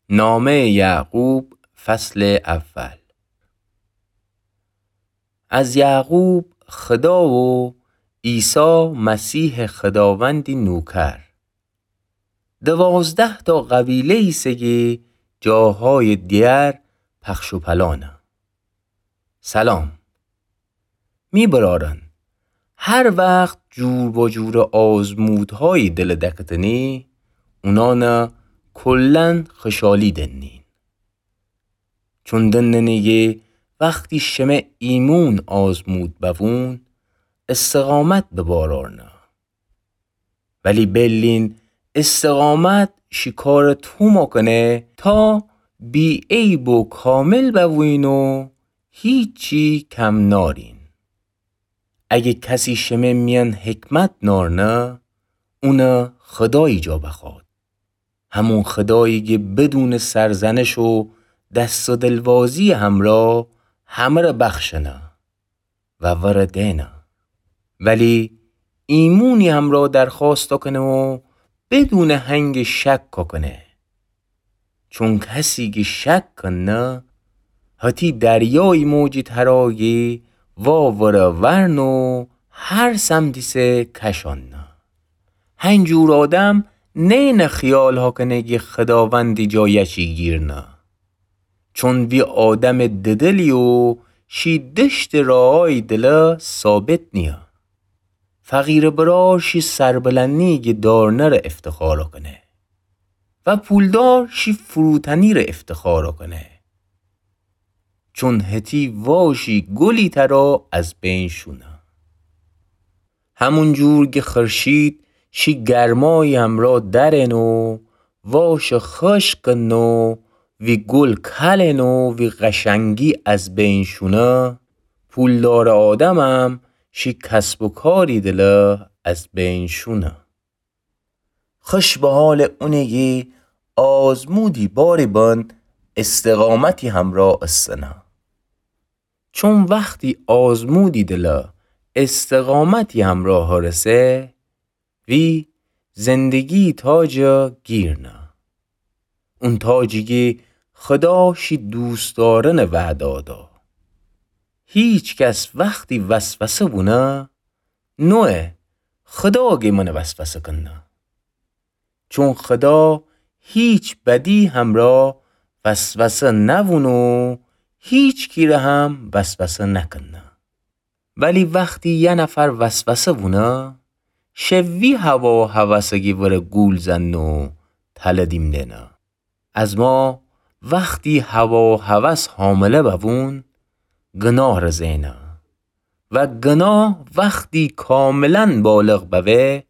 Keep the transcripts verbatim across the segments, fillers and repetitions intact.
نامهٔ یعقوب، فصل اول. از یعقوب خدا و عیسی مسیحٚ خداوندی نوکر. دوازده‌تأ قبیله ایسه کی جاهایٚ دیگر پخش و پلانه. سلام. می برأرأن، هر وخت جور با جورٚ آزمودهایی دلٚ دکتنی، اونأنٚ کلاً خوشحالی دنین. چون دننی کی وختی شمه ایمون آزمود بوون، استقامت به بار آرنه. ولی بیلین، استقامت شی کارٚ تومأ کنه تا بی‌عیب و کامل بوین و هیچی کم نارین. اگه کسی شمه میأن حکمت نارنه، اونٚ خدایی جا بخوأد. همون خدایی کی بدونٚ سرزنش و دست و دلوازی‌یٚ همرأ همه‌ره بخشنه و وره دئنه. ولی ایمونی همرأ درخوأست کنه و بدونٚ هنگ شک کنه. چون کسی کی شک کنه، هتی دریایی موجی ترا کی واوره ورنه و هر سمتیسه کشانه. هنجور آدم نئنه خیال هاکنه کی خداوندی جا یچی گیرنه. چون وی آدمٚ ددلی و شی دشتٚ راهایی دله ثابت نییه. فقیرٚ برأر شی سربلندی کی دارنه ره افتخار کنه و پولدار شی فروتنی ره افتخار کنه. چون هتی واشی گلی ترا از بین شونه. همون جور کی خورشید شی گرمایی همرأ درئن و واش خوشک کنه و وی گل کلئن و وی قشنگی از بین شونه، پولدارٚ آدمم شی کسب و کاری دله از بین شونه. خوش به حالٚ اونی کی آزمودی باری بن استقامتی همرأ استنه. چون وختی آزمودی دله استقامتی همرأ هرسه، وی زندگی تاجٚ گیرنه. اون تاجی کی خدا شی دوستدارنٚ وعده دا. هیچ کس وختی وسوسه بونه، نویه خدا گی من وسوسه کنه. چون خدا هیچ بدی همرأ وسوسه نوونه و هیچکی ره هم وسوسه نکنه. ولی وختی یه نفر وسوسه وونه، شه وی هوا و هوسه کی وره گول زنه و تله دیم دئنه. از ما وختی هوا و هوس حامله بوون، گناه ره زئنه و گناه وختی کاملاً بالغ بوه،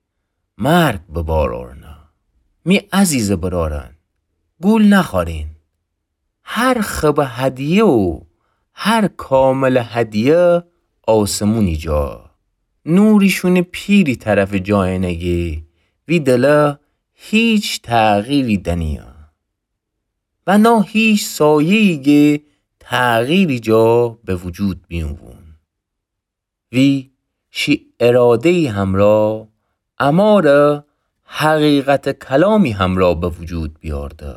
مرگ به بار اورنه. می عزیزٚ برأرأن، گول نخوأرین. هر خبٚ هدیه و هر کاملٚ هدیه آسمونی جا، نوریشونٚ پیری طرفٚ جا اینه کی وی دله هیچ تغییری دنیه و نا هیچ سایه‌یی کی تغییری جا به وجود بیوون. وی شی اراده‌یی همرأ اماره حقیقتٚ کلامی همرأ به وجود بیارده،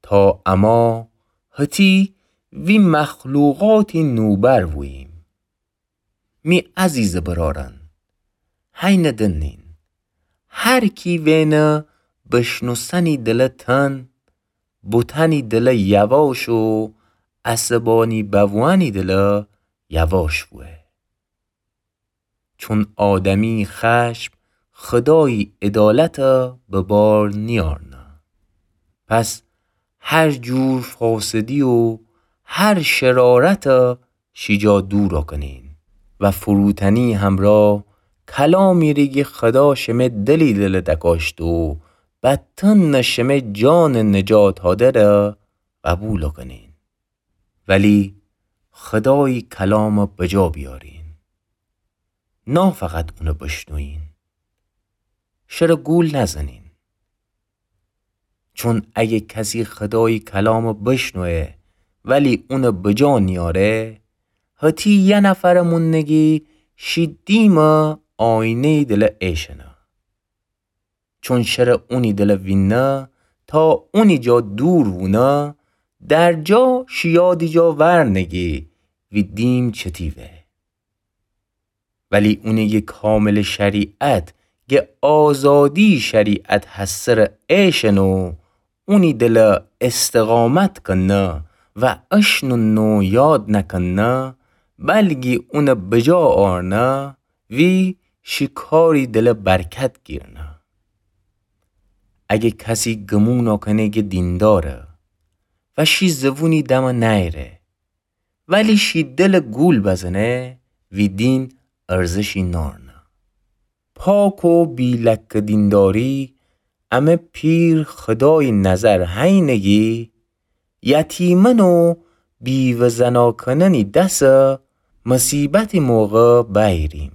تا اما هتی وی مخلوقاتی نوبر ووییم. می عزیزٚ برأرأن، هینه دنین. هر کی وئنه بشنوسنی دله تن، بوتنی دله یواش و عصبانی بووأنی دله یواش بوه. چون آدمی خشم خدایی عدالت به بار نیأرنه. پس هر جور فاسدی و هر شرارت شیجا دور کنین و فروتنی همرأ کلامی ره کی خدا شمه دلی دله دکاشته و بتن شمه جانٚ نجات هادره قبول کنین. ولی خدایی کلام بجا بیارین. نا فقط اونه بشنوین. شره گول نزنین. چون اگه کسی خدایی کلام بشنوه ولی اونه بجا نیاره، هتی یه نفر موننگی شی دیم آینه‌ی دل ایشنه. چون شره اونی دل ویننه تا اونی جا دور وونه، در جا شی یادی جا ورنگی وی دین چتی وه. ولی اونی گه کامل شریعت، گه آزادی شریعت هسر ایشنو، اونی دل استقامت کنه و اشنو نو یاد نکنه، بلگی اون بجا آرنه، وی شی کاری دل برکت گیرنه. اگه کسی گمون کنه گه دینداره و شی زبونی دم نیره، ولی شی دل گول بزنه، وی دین ارزشی نارنه. پاک و بی لکه دینداری، امه پیر خدای نظر هینگی، یتیمن و بیوه زنا کننی دس مصیبتی موقع بیریم.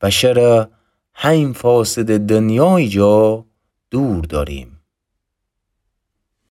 بشر هین فاسد دنیای جا دور داریم.